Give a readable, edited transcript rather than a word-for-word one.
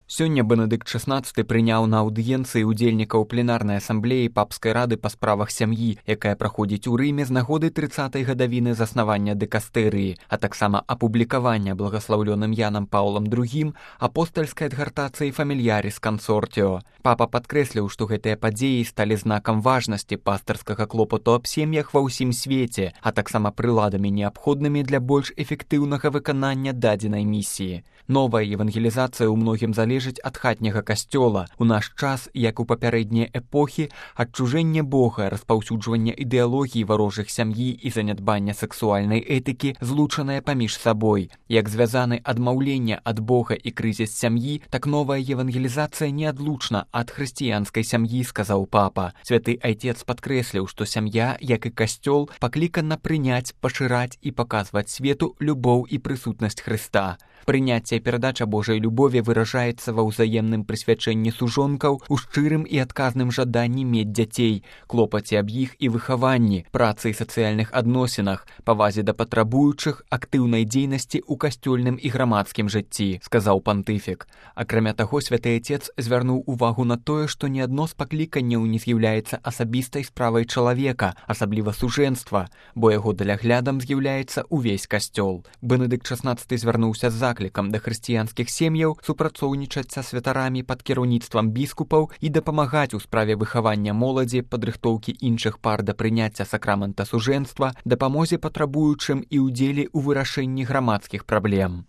Сёння Бенедыкт XVI прыняў на аўдыенцыі ўдзельнікаў пленарнай асамблеі папскай рады па справах сям'і, якая праходзіць у Рыме з нагоды 30-й гадавіны заснавання дыкастэрыі, а таксама апублікавання благаслаўлёным Янам Паўлам II апостальскай адгартацыі «Фамільяріс Кансортіо». Папа падкрэсліў, што гэтыя падзеі сталі знакам важнасці пастырскага клопату аб сем'ях ва ўсім свеце, а таксама прыладамі неабходнымі для больш эфектыўнага выканання дадзенай місіі. Новая евангелізацыя ў многім залежыць ад хатняга касцёла. У наш час, як у папярэднія эпохі, адчужэнне Бога, распаўсюджванне ідэалогіі варожых сям'і і занядбання сексуальнай этыкі злучаныя паміж сабой. Як звязаны адмаўленне ад Бога і крызіс сям'і, так новая евангелізацыя неадлучна ад хрысціянскай сям'і, сказаў папа. Святы айцец падкрэсліў, што сям'я, як і касцёл, паклікана прыняць, пашыраць і паказваць свету любоў і прысутнасць Хрыста. Прыняцце і перадача Божай любові выражаецца ва ўзаемным прысвячэнні сужонкаў, у шчырым і адказным жаданні мець дзяцей, клопаце аб іх і выхаванні, працы і сацыяльных адносінах, павазе да патрабуючых, актыўнай дзейнасці ў касцёльным і грамадскім жыцці, сказаў пантыфік. Акрамя таго, святы айцец звярнуў увагу на тое, што ні адно з пакліканняў не з'яўляецца асабістай справай чалавека, асабліва сужэнства, бо яго даляглядам з'яўляецца ўвесь касцёл. Бенедыкт XVI звярнуўся з заклікам да хрысціянскіх сем'яў супрацоўнічаць са святарамі пад кіраўніцтвам біскупаў і дапамагаць у справе выхавання моладзі, падрыхтоўкі іншых пар да прыняцця сакрамента сужэнства, дапамозе патрабуючым і ўдзеле ў вырашэнні грамадскіх праблем.